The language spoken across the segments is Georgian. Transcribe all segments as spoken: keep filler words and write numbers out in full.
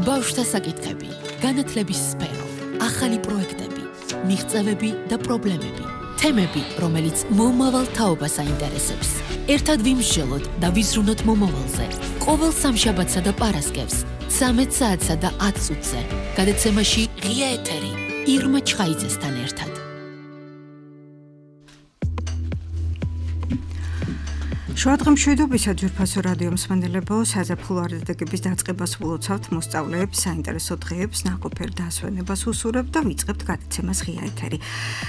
ბავშვთა საკითხები, განათლების სფერო, ახალი პროექტები, მიღწევები და პრობლემები, თემები, რომელიც მომავალ თაობას აინტერესებს. ერთად ვიმსჯელოთ და ვიზრუნოთ მომავალზე. ყოველ სამშაბათსა და პარასკევს, ცამეტ საათსა და ათ წუთზე, გადაცემაში ღია ეთერი, ირმა ჩხაიძესთან ერთად. შუადღემშვიდობისა ძვირფასო რადიო მსმენელებო, საზაფხულო არდადეგების დაწყებას ვლოცავთ, მოსწავლეებს საინტერესო დღეებს, ნაყოფიერ დასვენებას უსურებთ და ვიწყებთ გადაცემას ღია ეთერი.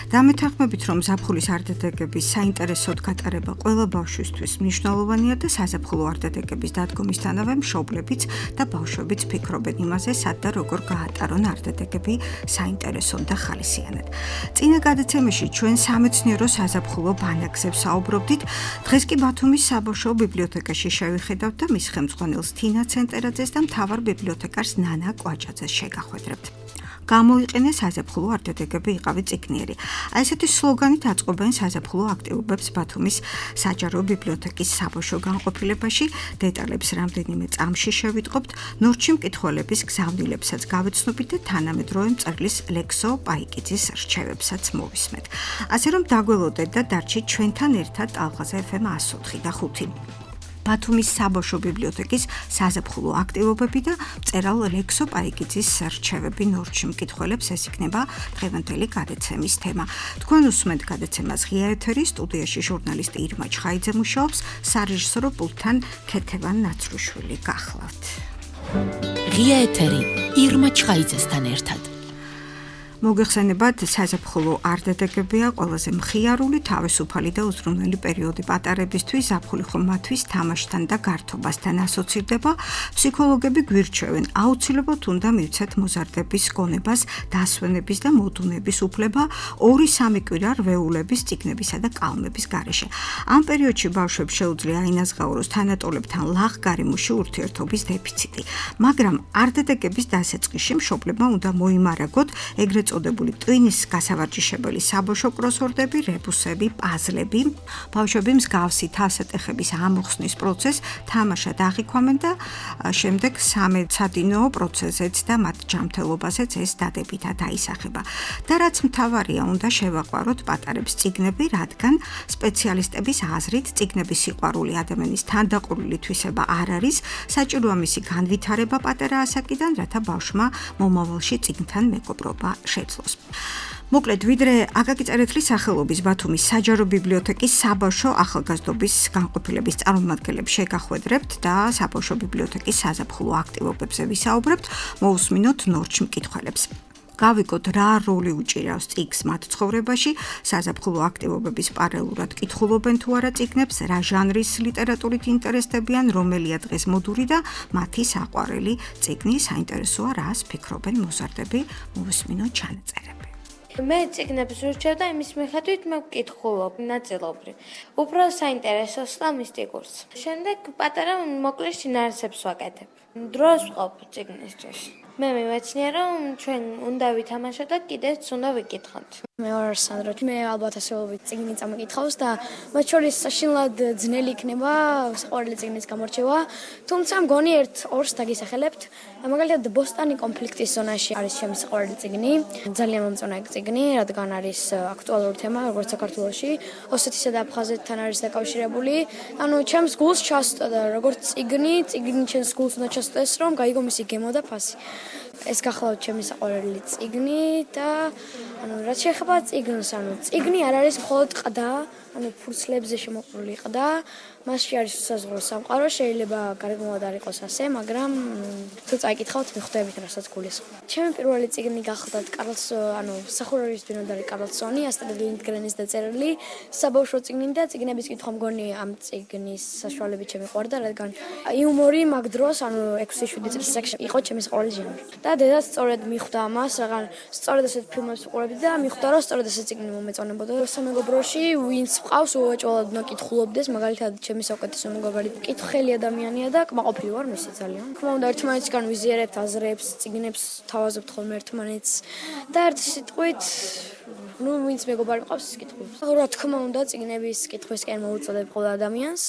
დამეთანხმებით, რომ ზაფხულის არდადეგების საინტერესოდ გატარება ყველა ბავშვისთვის მნიშვნელოვანია და საზაფხულო არდადეგების დადგომისთანავე მშობლებიც და ბავშვებიც ფიქრობენ იმაზე, სად და როგორ გაატარონ არდადეგები საინტერესოდ და ხალისიანად. წინა გადაცემაში ჩვენ სამეცნიერო საზაფხულო ბანაკზე ვსაუბრობდით, დღეს კი ბათუმის საბავშვო ბიბლიოთეკაში შევიხედავთ და მის ხელმძღვანელს თინა ცენტერაძეს და მთავარ ბიბლიოთეკარს ნანა კვაჭაძეს შეგახვედრებთ. გამოიყენეს საზაფხულო არდადეგები იყავი წიგნიერი. აი ესეთი სლოგანით აწყობენ საზაფხულო აქტივობებს ბათუმის საჯარო ბიბლიოთეკის საბავშვო განყოფილებაში. დეტალებს რამდენიმე წამში შევიტყობთ, ნორჩი მკითხველების გზავნილებსაც გავეცნობით და თანამედროვე მწერლის ლექსო პაიკიძის რჩევებსაც მოვისმენთ. ასე რომ დაგველოდეთ და დარჩით ჩვენთან ერთად ტალღაზე ეფ ემ ას ოთხი და ხუთი. ბათუმის საბავშვო ბიბლიოთეკის საზაფხულო აქტივობები და მწერალ ლექსო პაიკიძის რჩევები ნორჩი მკითხველებს, ეს იქნება დღევანდელი გადაცემის თემა. თქვენ უსმენთ გადაცემას ღია ეთერი, სტუდიაში ჟურნალისტი ირმა ჩხაიძე მუშაობს, სარეჟისორო პულტთან ქეთევან ნაცრუშვილი გახლავთ. ღია ეთერი ირმა ჩხაიძესთან ერთად. მოგეხსენებათ, საზაფხულო არდადეგებია ყველაზე მხიარული, თავისუფალი და უზრუნველი პერიოდი პატარებისთვის, ზაფხული ხომ მათთვის თამაშთან და გართობასთან ასოცირდება. ფსიქოლოგები გვირჩევენ, აუცილებლად უნდა მივცეთ მოზარდების გონებას, დასვენების და მოდუნების უფლება ორი სამი კვირა რვეულების, წიგნებისა და კალმების გარეშე. ამ პერიოდში ბავშვებს შეუძლია აინაზღაუროს თანატოლებთან ლაღგარიმოში ურთიერთობის დეფიციტი. მაგრამ არდადეგების დასაწყისში მშობლებმა უნდა მოიმარაგოთ ეგრეთ წოდებული ტვინის გასავარჯიშებელი საბავშვო კროსვორდები, რებუსები, პაზლები. ბავშვები მსგავსი თავსატეხების ამოხსნის პროცესს თამაშად აღიქვამენ და შემდეგ სამეცადინო პროცესზეც და მათ ჯანმრთელობაზეც ეს დადებითად აისახება. და რაც მთავარია, უნდა შევაყვაროთ პატარებს წიგნები, რადგან სპეციალისტების აზრით წიგნების სიყვარული ადამიანის თანდაყოლილი თვისება არ არის, საჭიროა მისი განვითარება პატარა ასაკიდან, რათა ბავშვმა მომავალში წიგნთან მეგობრობა შეძლოს. მოკლედ, ვიდრე აკაკი წერეთლის სახელობის ბათუმის საჯარო ბიბლიოთეკის საბავშვო ახალგაზრდობის განყოფილების წარმომადგენლებს შეგახვედრებთ და საბავშვო ბიბლიოთეკის საზაფხულო აქტივობებზე ვისაუბრებთ, მოусმინოთ ნორჩ მკითხველებს. გავიგოთ, რა როლი უჭირავს წიგნს მათ ცხოვრებაში, საზაფხულო აქტივობების პარალელურად კითხულობენ თუ არა წიგნებს, რა ჟანრის ლიტერატურით ინტერესდებიან, რომელია დღეს მოდური და მათი საყვარელი წიგნი, საინტერესოა რას ფიქრობენ მოზარდები, მოვისმინოთ ჩანაწერები. მე წიგნებს ვირჩევ და იმის მიხედვით მე ვკითხულობ ნაწილობრივ. უფრო საინტერესოს და მისტიკურს. შემდეგ პატარა მოკლე შინაარსებს ვაკეთებ. დროს ვყავ წიგნისთვის. მე მივეცნია, რომ ჩვენ უნდა ვითამაშოთ და კიდეც უნდა ვიკითხოთ. მე ვარ სანდრო, მე ალბათ ასეულობით წიგნი წამიკითხავს და მათ შორის საშინლად ძნელი იქნება საყვარელი წიგნის გამორჩევა, თუმცა მგონი ერთ ორს დაგისახელებთ. მაგალითად, ბოსტანი კონფლიქტის ზონაში არის ჩემი საყვარელი წიგნი, ძალიან მომწონა ეგ წიგნი, რადგან არის აქტუალური თემა, როგორც საქართველოში, ოსეთისა და აფხაზეთთან არის დაკავშირებული. ანუ ჩემს გულს ჩასწოდა და როგორც წიგნი, წიგნი ჩემს გულს უნდა ჩასწოდეს, რომ გაიგო მისი გემო და ფასი. ეს გახლავთ ჩემი საყვარელი წიგნი და ანუ რაც შეეხება წიგნს, ანუ წიგნი არ არის მხოლოდ ყდა, ანუ ფურცლებზე შემოყრული ყდა, მასში არის უსაზღვრო სამყარო, შეიძლება გარეგნულად არ იყოს ასე, მაგრამ თუ წაიკითხავთ, მიხვდებით რასაც გულისხმობ. ჩემი პირველი წიგნი გახლდათ კარლს, ანუ მსახურების ბინადარი კარლსონი, ასტრიდ ლინდგრენის დაწერილი საბავშვო წიგნი და წიგნების კითხვა მგონი ამ წიგნის საშუალებით შემიყვარდა, რადგან იუმორი მაგ დროს, ანუ ექვსი შვიდი წლის ასაკში იყო ჩემი საყვარელი ჟანრი. და დედაც სწორედ მიხვდა ამას, რადგან სწორედ ასეთ ფილმებს ვუყურებდი და მიხვდა, რომ სწორედ ასეთ წიგნი მომეწონებოდა. სამეგობროში ვინც მყავს, უეჭველად უნდა კითხულობდეს, მაგალითად ჩემი საუკეთესო მეგობარი კითხელი ადამიანია და კმაყოფილი ვარ მისი ძალიან. თქმა უნდა, ერთმანეთისგან ვიზიარებთ აზრებს, წიგნებს თავაზობთ ხოლმე ერთმანეთს და ერთ სიტყვით ну, ვინც მეგობარი მყავს, ის კითხულობს. რა თქმა უნდა, წიგნების კითხვისკენ მოუწოდებ ყველა ადამიანს.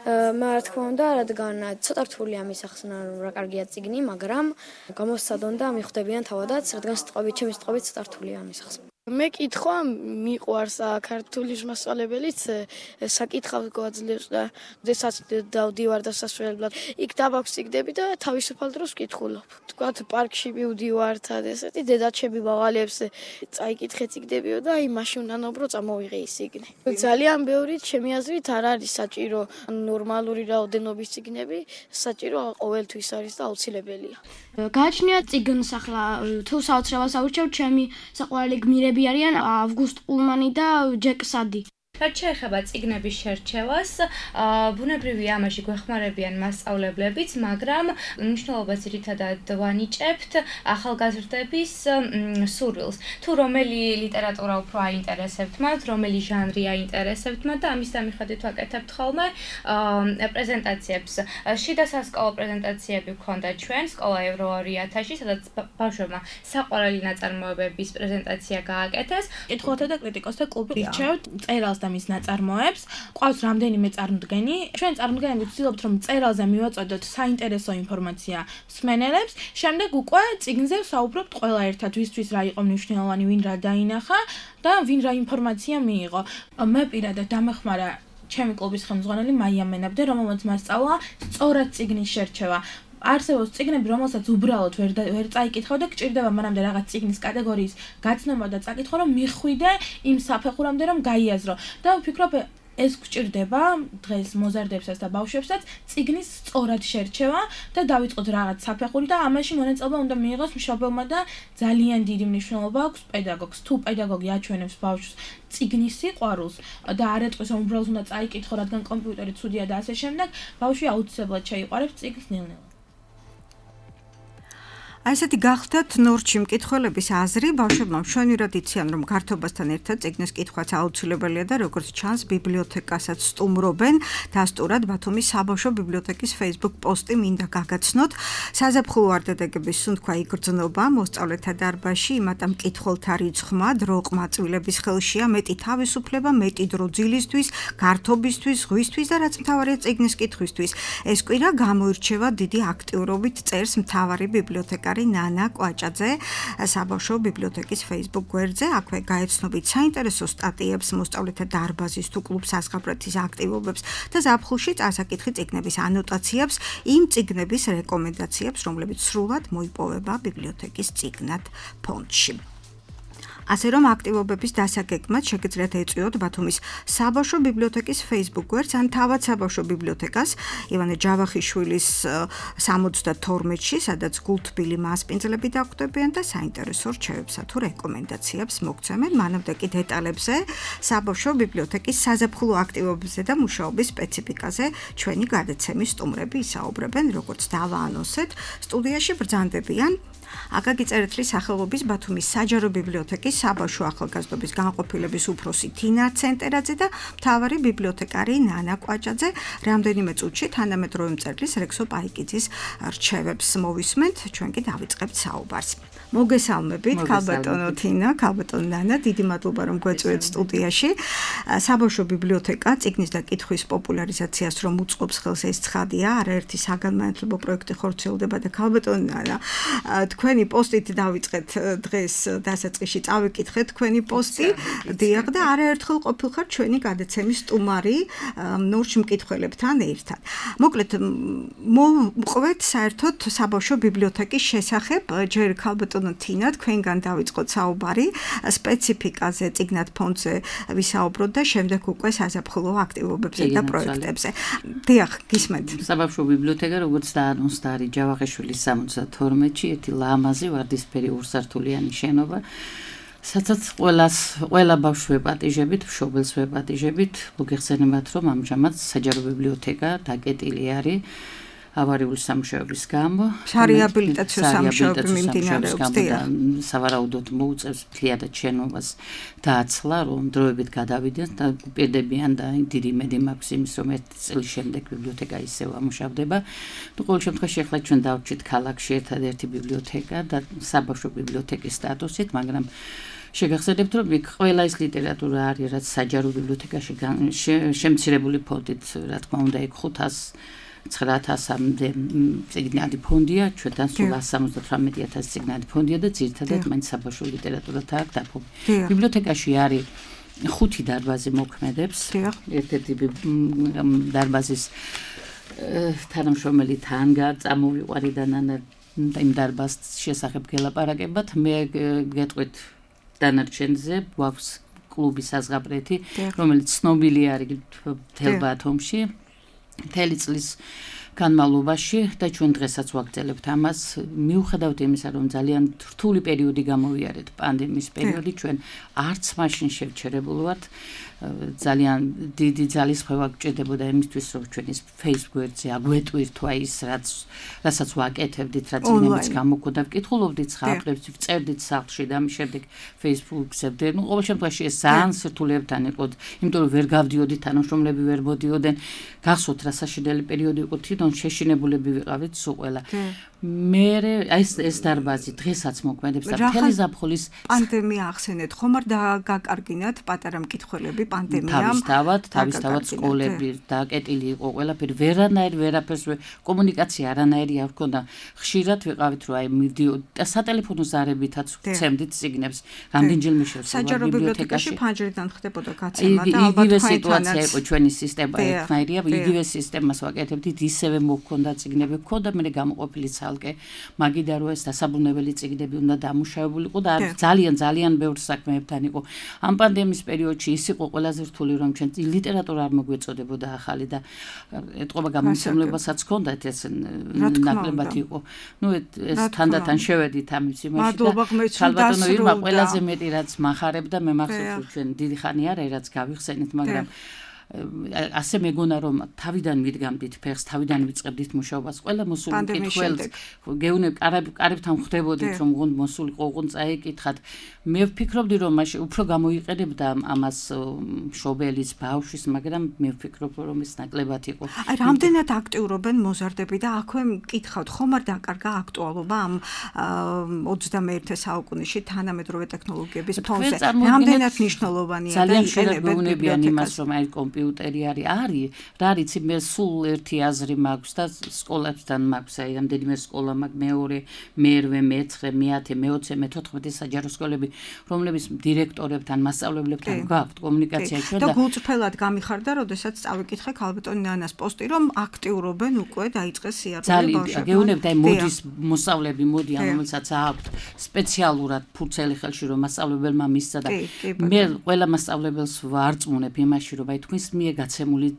მე რა თქმა უნდა, რადგან ცოტა რთულია მისახსნა, რომ რა კარგია წიგნი, მაგრამ გამოსცადონ და მიხვდებიან თავადაც, რადგან სიტყვებით, ჩემი სიტყვებით ცოტა რთულია მისახსნა. მე კითხვა მიყვარს ქართული მასწავლებელიც საკითხავს გვაძლევს და როდესაც დავდივარ დასასრულებლად იქ დავაქვსიგდები და თავისუფალ დროს ვკითხულობ. თქვათ პარკში მივდივართ ესეთი დედაჩები ბაღალებს წაიკითხე წიგდებიო და აი მაშინ უნდა ნობრო წამოვიღე ის წიგნი. ძალიან ბევრი ჩემი აზრით არ არის საჭირო ნორმალური რაოდენობის წიგნები, საჭირო ყოველთვის არის და აუცილებელია. გააჩნია წიგნს ახლა თუ საოცრებას ავურჩევ ჩემი საყვარელი გმირები არიან ავგუსტ ულმანი და ჯეკ სადი. რაც შეეხება წიგნების შერჩევას, ბუნებრივია ამაში გვეხმარებიან მასწავლებლებიც, მაგრამ მნიშვნელობას ძირითადად ვანიჭებთ ახალგაზრდების სურვილს. თუ რომელი ლიტერატურა უფრო აინტერესებთ მათ, რომელი ჟანრი აინტერესებთ მათ და ამის მიხედვით ვაკეთებთ ხოლმე პრეზენტაციებს. შიდა სასკოლო პრეზენტაციები გვქონდა ჩვენ სკოლა ევრო ორი ათასში, სადაც ბავშვებმა საყვარელი ნაწარმოებების პრეზენტაცია გააკეთეს. კითხულთა და კრიტიკოსთა კლუბი ირჩევთ წერალს და მის ნაწარმოებს. ყავს რამდენიმე წარმოდგენი. ჩვენ წარმოდგენები ვცდილობთ, რომ წერალზე მივაწოდოთ საინტერესო ინფორმაცია მსმენელებს. შემდეგ უკვე წიგნზე ვსაუბრობთ ყველა ერთად, ვისთვის რა იყო მნიშვნელოვანი, ვინ რა დაინახა და ვინ რა ინფორმაცია მიიღო. მე პირადად დამეხმარა ჩემი კლუბის ხელმძღვანელი მაია მენაბდე, რომელმაც მასწავლა სწორად წიგნის შერჩევა. არსებობს წიგნები, რომელსაც უბრალოდ ვერ ვერ წაიკითხავ და გჭირდება მანამდე რაღაც წიგნის კატეგორიის გაცნობა და წაკითხვა, რომ მიხვიდე იმ საფეხურამდე, რომ გაიაზრო. და ვფიქრობ, ეს გჭირდება დღეს მოზარდებსაც და ბავშვებსაც წიგნის სწორად შერჩევა და დავიწყოთ რაღაც საფეხური და ამაში მონაწილეობა უნდა მიიღოს მშობელმა და ძალიან დიდი მნიშვნელობა აქვს პედაგოგს. თუ პედაგოგი აჩვენებს ბავშვს წიგნის სიყვარულს და არ ეტყვის, რომ უბრალოდ უნდა წაიკითხო, რადგან კომპიუტერი ცუდია და ასე შემდეგ, ბავშვი აუცილებლად შეიყვარებს წიგნს ნელ-ნელა. აი ესეთი გახდათ ნორჩი მკითხველების აზრი, ბავშვებმა მშვენივრად იციან, რომ გართობასთან ერთად წიგნის კითხვაც აუცილებელია და როგორც ჩანს, ბიბლიოთეკასაც სტუმრობენ. დასტურად ბათუმის საბავშვო ბიბლიოთეკის Facebook პოსტი მინდა გაგაცნოთ. საზაფხულო არდადეგების სუნთქვა იგრძნობა მოსწავლეთა დარბაზში, იმატა მკითხველთა რიცხვმა, დრო ყმაწვილების ხელშია, მეტი თავისუფლება, მეტი დრო ძილისთვის, გართობისთვის, ღვისთვის და რაც მთავარია წიგნის კითხვისთვის. ეს კვირა გამოირჩევა დიდი აქტიურობით, წერს მთავარი ბიბლიოთეკა ნანა კვაჭაძე საბავშვო ბიბლიოთეკის Facebook გვერდზე. აქვე გაეცნობით საინტერესო სტატიებს მოსწავლეთა დარბაზის თუ კლუბ საზღაპრეთის აქტივობებს და ზაფხულში წარსაკითხი წიგნების ანოტაციებს, იმ წიგნების რეკომენდაციებს, რომლებიც სრულად მოიპოვება ბიბლიოთეკის წიგნად ფონდში. ასე რომ აქტივობების დასაგეგმად შეგიძლიათ ეწვიოთ ბათუმის საბავშვო ბიბლიოთეკის Facebook გვერდს ან თავად საბავშვო ბიბლიოთეკას ივანე ჯავახიშვილის სამოცდათორმეტში, სადაც გულთბილი მასპინძლები დაგვხვდებიან და საინტერესო რჩევებსა თუ რეკომენდაციებს მოგცემენ. მანამდე კი დეტალებზე საბავშვო ბიბლიოთეკის საზაფხულო აქტივობებზე და მუშაობის სპეციფიკაზე ჩვენი გადაცემის სტუმრები ისაუბრებენ, როგორც დავაანონსეთ. სტუდიაში ბრძანდებიან აკაკი წერეთლის სახელობის ბათუმის საჯარო ბიბლიოთეკის საბავშვო ახალგაზრდობის განყოფილების უფროსი თინა ცენტერაძე და მთავარი ბიბლიოთეკარი ნანა კვაჭაძე. რამდენიმე წუთში თანამედროვე მწერლის რექსო პაიკიძის რჩევებს მოვისმენთ, ჩვენ კი დავიწყებთ საუბარს. მოგესალმებით, ქალბატონო თინა, ქალბატონო ნანა, დიდი მადლობა რომ გვეწვევთ სტუდიაში. საბავშვო ბიბლიოთეკა წიგნის და კითხვის პოპულარიზაციას რომ უწყობს ხელს, ეს ცხადია, არაერთი საგანმანათლებლო პროექტი ხორციელდება და ქალბატონო ნანა, თქვენი პოსტით დავიწყეთ დღეს დასაწყისში წავიკითხეთ თქვენი პოსტი, დიახ და არაერთხელ ყოფილხარ ჩვენი გადაცემის სტუმარი ნორჩ მკითხველებთან ერთად. მოკლედ მოვყვეთ საერთოდ საბავშვო ბიბლიოთეკის შესახებ, ჯერ ქალბატონო თინა, თქვენგან დავიწყოთ საუბარი, სპეციფიკაზე, წიგნად ფონდზე ვისაუბროთ და შემდეგ უკვე საზაფხულო აქტივობებზე და პროექტებზე. დიახ, გისმენთ. საბავშვო ბიბლიოთეკა, როგორც დაანონსდა, არის ჯავახიშვილის სამოცდათორმეტში, ერთი ლამაზი ვარდისფერი ორსართულიანი შენობა, სადაც ყველას ყველა ბავშვს ვეპატიჟებით, მშობელს ვეპატიჟებით, მოგეხსენებათ, რომ ამჟამად საჯარო ბიბლიოთეკა დაკეტილი არის ავარიული სამუშაოების გამო, სარეაბილიტაციო სამუშაოები მიმდინარეობს და სავარაუდოდ მოუწევს მთლიანად შენობას დააცლა, რომ დროებით გადავიდნენ და პირდებიან და დიდი იმედი მაქვს იმის, რომ ერთი წლის შემდეგ ბიბლიოთეკა ისევ ამუშავდება. ნუ ყოველ შემთხვევაში ახლა ჩვენ დავჭით ქალაქში ერთადერთი ბიბლიოთეკა და საბავშვო ბიბლიოთეკის სტატუსით, მაგრამ შეგახსენებთ, რომ იქ ყველა ის ლიტერატურა არის, რაც საჯარო ბიბლიოთეკაში შემცირებული ფონდით, რა თქმა უნდა, იქ ხუთას ცხრა ათასამდე წიგნადი ფონდია, ჩვენთან სულ ასს სამოცდათვრამეტი ათასი წიგნადი ფონდია და ძირითადად მაინც საბავშვო ლიტერატურათა აქვს დაფუძნებული. ბიბლიოთეკაში არის ხუთი დარბაზი მოქმედებს. ერთ-ერთი დარბაზის თანამშრომელი თან წამოვიყვარი და ნანა იმ დარბაზის შესახებ გელაპარაკებათ. მე გეტყვით დანარჩენზე, გვაქვს კლუბი საზღაპრეთი, რომელიც ცნობილი არის მთელ ბათუმში. მთელი წლის განმავლობაში და ჩვენ დღესაც ვაგრძელებთ ამას. მიუხედავად იმისა, რომ ძალიან რთული პერიოდი გამოვიარეთ, პანდემიის პერიოდი, ჩვენ არც მაშინ შევჩერებულ ვართ. ძალიან დიდი ძალისხმევა გჭირდებოდა იმისთვის, რომ ჩვენ ის Facebook-ზე აგვეტვირთვა ის, რაც რასაც ვაკეთებდით, რაც იმის გამოქვდა, ვკითხულობდით ხალხებს, ვწერდით სახლში და ამის შემდეგ Facebook-ზე. ნუ ყოველ შემთხვევაში ეს ძალიან სირთულეებთან იყო, იმიტომ რომ ვერ გავდიოდით, თანამშრომლები ვერ მოდიოდნენ. გახსოვთ რა საშინელი პერიოდი იყო, თვითონ შეშინებულები ვიყავით სულ ყველა. მე ეს ეს დარბაზი დღესაც მოქმედებს და მთელი ზაფხულის პანდემია ახსენეთ, ხომ არ დაგაკარგინათ პატარა მკითხველები პანდემიამ? თავისთავად, თავისთავად სკოლები დაკეტილი იყო ყველაფერი, ვერანაირ ვერაფერს კომუნიკაცია არანაირი არ ჰქონდა. ხშირად ვიყავით, რომ აი მივდიოდი და სატელეფონო ზარებითაც ვცემდით წიგნებს. რამდენჯერმე შევსვლა საჯარო ბიბლიოთეკაში ფანჯრიდან ხდებოდა გაცემა და ალბათ იგივე სიტუაცია იყო ჩვენი სისტემა ერთნაირია, იგივე სისტემას ვაკეთებდით, ისევე მოქონდა წიგნები, ქონდა მე გამოყოფილი ცალკე, მაგიდა რომ ეს დასაბრუნებელი წიგნები უნდა დამუშავებულიყო და ძალიან ძალიან ბევრ საქმეებთან იყო. ამ პანდემიის პერიოდში ის იყო ყველაზე რთული, რომ ჩვენ ლიტერატურა არ მოგვეწოდებოდა ახალი და ეთყობა გამომცემლებასაც ჰქონდათ ეს ნაკლებად იყო. ნუ ეს თანდათან შევედით ამის იმაში და ხალბატონო ირმა ყველაზე მეტი რაც მახარებდა, მე მახსოვს ჩვენ დიდი ხანი არა რაც გავიხსენით, მაგრამ ასე მეგონა რომ თავიდან მიდგამდით ფეხს, თავიდან ვიწყებდით მუშაობას. ყველა მოსული მკითხველს გეუნებ კარებთან ხვდებოდით რომ გუნდ მოსულიყო, უგუნ წაიკითხათ. მე ვფიქრობდი რომ მაშინ უფრო გამოიყენებდა ამას მშობელის ბავშვის, მაგრამ მე ვფიქრობ რომ ეს ნაკლებად იყო. აი რამდენად აქტიურობენ მოზარდები და აქვე მკითხავთ, ხომ არ დაკარგა აქტუალობა ამ ოცდამეერთე საუკუნეში თანამედროვე ტექნოლოგიების ფონზე? რამდენად მნიშვნელოვანია და იყენებენ ბიბლიოთეკას რომ აი კომპიუტერი არის, არის, რა ვიცი, მე სულ ერთი აზრი მაქვს და სკოლებთან მაქვს, აი რამდენიმე სკოლა მაქვს, მეორე, მერვე, მეცხრე, მეათე, მეოცე, მეთოთხმეტე საჯარო სკოლები, რომლებიც დირექტორებთან, მასწავლებლებთან გვაქვთ კომუნიკაცია ჩვენ და გულწრფელად გამიხარდა, როდესაც წავიკითხე ქალბატონ ნანას პოსტი, რომ აქტიურობენ უკვე დაიწყეს სიარული ბავშვებმა. ძალიან, გეუბნებთ, აი მოდის მოსწავლები მოდიან, რომელსაც აქვთ სპეციალურად ფურცელი ხელში, რომ მასწავლებელმა მისცა და მე ყველა მასწავლებელს ვარწმუნებ იმაში, რომ აი თქვენს მიერ გაცემული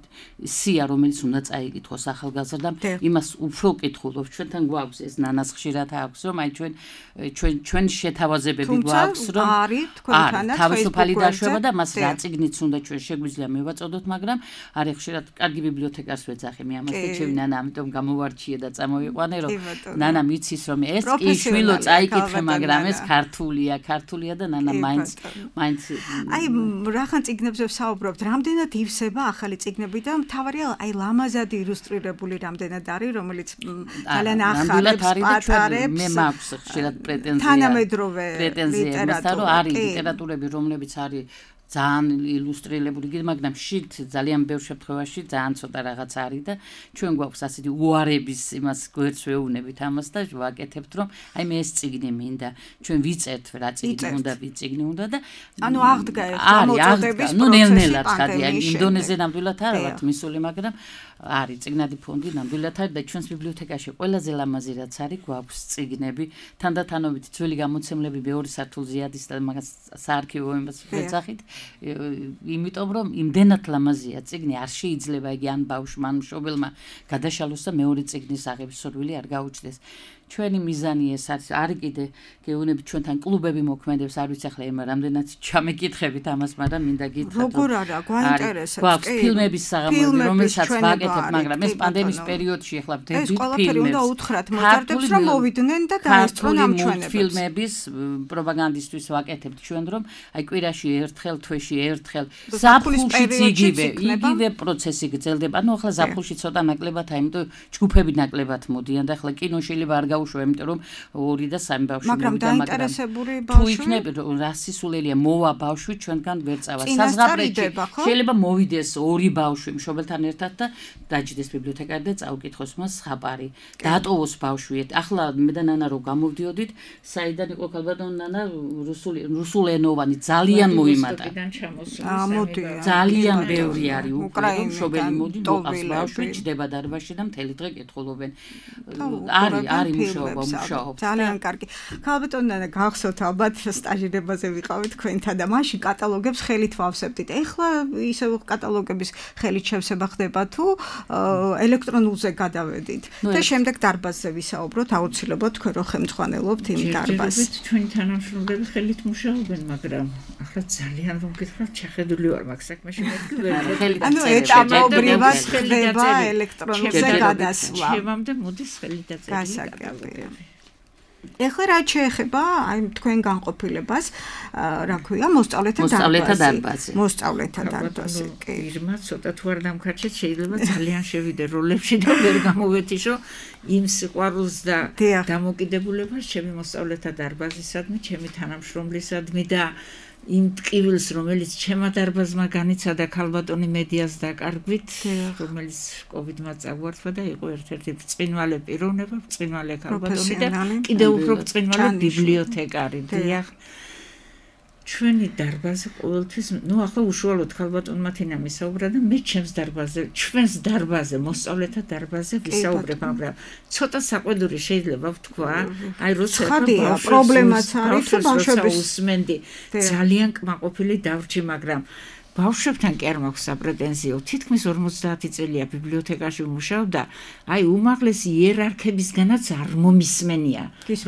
სია, რომელიც უნდა წაიკითხოს ახალგაზრდამ, იმას უფრო კითხულობ. ჩვენთან გვაქვს ეს ნანას ხშირად აქვს, რომ აი ჩვენ ჩვენ ჩვენ შეთავაზებები გვაქვს, რომ არის თქვენთანაც თავისუფალი დაშვება და მას რა წიგნიც უნდა ჩვენ შეგვიძლია მევაწოდოთ, მაგრამ არის ხშირად კარგი ბიბლიოთეკარს ვეძახი მე ამას და ჩემი ნანა ამიტომ გამოვარჩიე და წამოვიყვანე, რომ ნანა მიცის რომ ეს კი შვილო წაიკითხე, მაგრამ ეს ქართულია, ქართულია და ნანა მაინც მაინც აი რახან წიგნებზე ვსაუბრობთ, რამდენად ივსება ახალი წიგნები და მთავარია აი ლამაზად ილუსტრირებული რამდენად არის, რომელიც ძალიან ახალებს პატარებს. მე მაქვს ხშირად პრეტენზია თანამედროვე ლიტერატურა, არის ლიტერატურები, რომლებიც არის ძალიან ილუსტრირებული, მაგრამ შით ძალიან ბევრ შემთხვევაში ძალიან ცოტა რაღაც არის და ჩვენ გვაქვს ასეთი უარების იმას გვერდს ვეუბნებით ამას და ვაკეთებთ, რომ აი მე ეს წიგნი მინდა, ჩვენ ვიწერთ რა წიგნი უნდა, ვიწიგნი უნდა და ანუ აღდგა ეს გამოწოდების პროცესი. ნუ ნელ-ნელად ხადი, აი ინდონეზია ნამდვილად არ ვართ მისული, მაგრამ არის წიგნადი ფონდი ნამდვილად არის და ჩვენს ბიბლიოთეკაში ყველაზე ლამაზი რაც არის, გვაქვს წიგნები, თანდათანობით ძველი გამოცემლები მეორე სართულზე ადის და მაგას საარქივო იმას ვეძახით. იმიტომ რომ იმდენად ლამაზია წიგნი, არ შეიძლება იგი ან ბავშვმა ან მშობელმა გადაშალოს და მეორე წიგნის აღების სურვილი არ გაუჩნდეს. ჩვენი მიზანი ეს არის, არის კიდე გეუბნებით ჩვენთან კლუბები მოქმედებს, არ ვიცი ახლა ემა რამდენად ჩამეკითხებით ამას, მაგრამ მინდა გითხრათ. როგორ არა, გვაინტერესებს. გვაქვს ფილმების საღამოები, რომელსაც ვაკეთებ, მაგრამ ეს პანდემიის პერიოდში ახლა ვდებით ფილმებს. ეს ყველაფერი უნდა უთხრათ მოზარდებს, რომ მოვიდნენ და დაესწრონ ამ ჩვენებს. ფილმების პროპაგანდისტვის ვაკეთებთ ჩვენ, რომ აი კვირაში ერთხელ, თვეში ერთხელ ზაფხულშიც იგივე, იგივე პროცესი გრძელდება. ანუ ახლა ზაფხულში ცოტა ნაკლებად, აი, იმიტომ ჯგუფები ნაკლებად მოდიან და ახლა კინო შეიძლება არ გაუშვება, იმიტომ რომ ორი და სამი ბავშვი მაგრამ მოვიდა, დაინტერესებული თუ ბავშვი იქნებ რა სისულელია მოვა ბავშვი ჩვენგან ვერ წავა საზღაპრეთში შეიძლება მოვიდეს ორი ბავშვი მშობელთან ერთად და დაჯდეს ბიბლიოთეკარი და წაუკითხოს მას ხაპარი დატოვოს ბავშვი ახლა მე და ნანა რო გამოვდიოდით საიდან იყო ქალბატონი ნანა რუსული რუსულენოვანი ძალიან მოიმატა ძალიან ბევრი არის უკვე მშობელი მოდი მოყავს ბავშვი ჯდება დარბაზში და მთელი დღე კითხულობენ არის არის მუშაობა მუშაობს ძალიან კარგი ქალბატონი ნანა გახსოვთ ალბათ სტაჟირებაზე ვიყავით თქვენთან და მაშინ კატალოგებს ხელით ვავსებდით ეხლა ისე კატალოგების ხელით შევსება ხდება თუ ელექტრონულზე გადავედით და შემდეგ დარბაზზე ვისაუბროთ აუცილებლად თქვენ რო ხელმძღვანელობთ იმ დარბაზს თქვენი თანამშრომლები ხელით მუშაობენ მაგრამ ახლა ძალიან რომ გითხრათ შეხედული ვარ მაგ საქმეში მეთქვა ანუ ეტაპობრივად ხდება ელექტრონულზე გადასვლა ჩემამდე მოდის ხელით დაწერილი ეხლა რა შეეხება აი თქვენ განყოფილებას რა ქვია მოსწავლეთა დარბაზი მოსწავლეთა დარბაზი კი ირმა ცოტა თუ არ დამქარჩეთ შეიძლება ძალიან შევიდე როლებში და ვერ გამოვეთიშო იმ სიყვარულს და დამოკიდებულებას ჩემი მოსწავლეთა დარბაზისადმი ჩემი თანამშრომლისადმი და იმ ტკივილს რომელიც ჩემმა დარბაზმა განიცადა ქალბატონი მედიას დაკარგვით რომელიც კოვიდმა წაგვართვა და იყო ერთ-ერთი ბრწყინვალე პიროვნება ბრწყინვალე ქალბატონი და კიდევ უფრო ბრწყინვალე ბიბლიოთეკარი დიახ ჩვენი დარბაზი ყოველთვის ნუ ახლა უშუალოდ ქალბატონმა თინამ ისაუბრა და მე ჩემს დარბაზზე ჩვენს დარბაზზე მოსწავლეთა დარბაზზე ვისაუბრებ მაგრამ ცოტა საყვედური შეიძლება ვთქვა აი როცა პრობლემაც არის თუ ბავშვების უსმენდი ძალიან კმაყოფილი დავრჩი მაგრამ ბავშვებთან კი არ მაქვს საპრეტენზიო თითქმის ორმოცდაათი წელია ბიბლიოთეკაში ვმუშაობ და აი უმაღლესი იერარქებისგანაც არ მომისმენია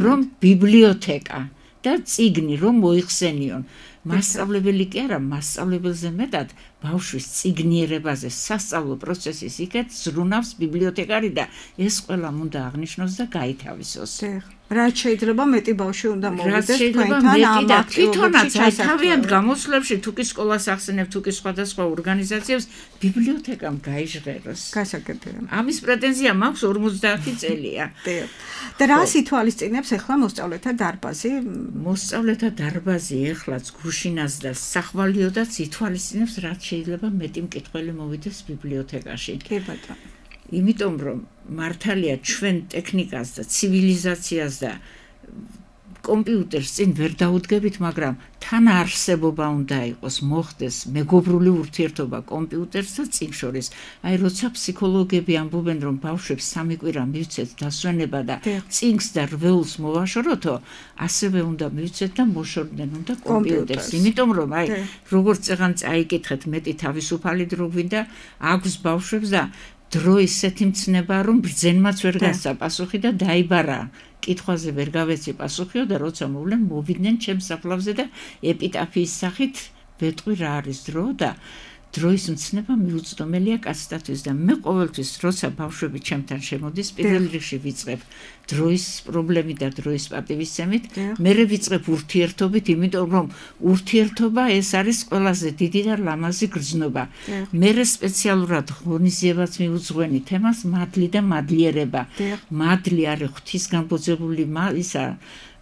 რომ ბიბლიოთეკა და წიგნი რომ მოიხსენიონ მასწავლებელი კი არა მასწავლებელზე მეტად ბავშვის წიგნიერებაზე სასწავლო პროცესის იქეთ ზრუნავს ბიბლიოთეკარი და ეს ყველამ უნდა აღნიშნოს და გაითავისოს რაც შეიძლება მეტი ბავშვი უნდა მოვიდეს თქვენთან ამ აქტივობებში თავიანთ გამოსვლებში თუ კი სკოლას ახსენებ თუ კი სხვადასხვა ორგანიზაციებს ბიბლიოთეკამ გაიჟღეროს გასაგებია ამის პრეტენზია მაქვს ორმოცდაათი წელია და რა სიტუაციებს ახლა მოსწავლეთა დარბაზი მოსწავლეთა დარბაზი ეხლაც გუშინას და სახვალიოდაც ითვალისწინებს რაც შეიძლება მეტი მკითხველი მოვიდეს ბიბლიოთეკაში კი ბატონო იმიტომ რომ მართალია ჩვენ ტექნიკას და ცივილიზაციას და კომპიუტერს წინ ვერ დაუდგებით, მაგრამ თან არსებობა უნდა იყოს, მოხდეს მეგობრული ურთიერთობა კომპიუტერს და წინ შორის. აი როცა ფსიქოლოგები ამბობენ, რომ ბავშვებს სამი კვირა მივცეთ დასვენება და წინს და რვეულს მოვაშოროთო, ასევე უნდა მივცეთ და მოშორდნენ უნდა კომპიუტერს. იმიტომ რომ აი როგორც წეგან წაიკითხეთ, მეტი თავისუფალი დრო გვინდა აქვს ბავშვებს და დრო ისეთი მცნება რომ ბრძენმაც ვერ გასცა პასუხი და დაიბარა კითხვაზე ვერ გავეცი პასუხიო და როცა მოვლენ მოვიდნენ ჩემს საფლავზე და ეპიტაფიის სახით ვეტყვი რა არის დრო და დროის მცნება მიუწვდომელია კაცთათვის და მე ყოველთვის როცა ბავშვები ჩემთან შემოდის პირველ რიგში ვიწყებ დროის პრობლემით და დროის პატივისცემით მერე ვიწყებ ურთიერთობით იმიტომ რომ ურთიერთობა ეს არის ყველაზე დიდი და ლამაზი გრძნობა მერე სპეციალურად ღონისძიებაც მიუძღვენი თემას მადლი და მადლიერება მადლი არის ღვთისგანბოძებული ისა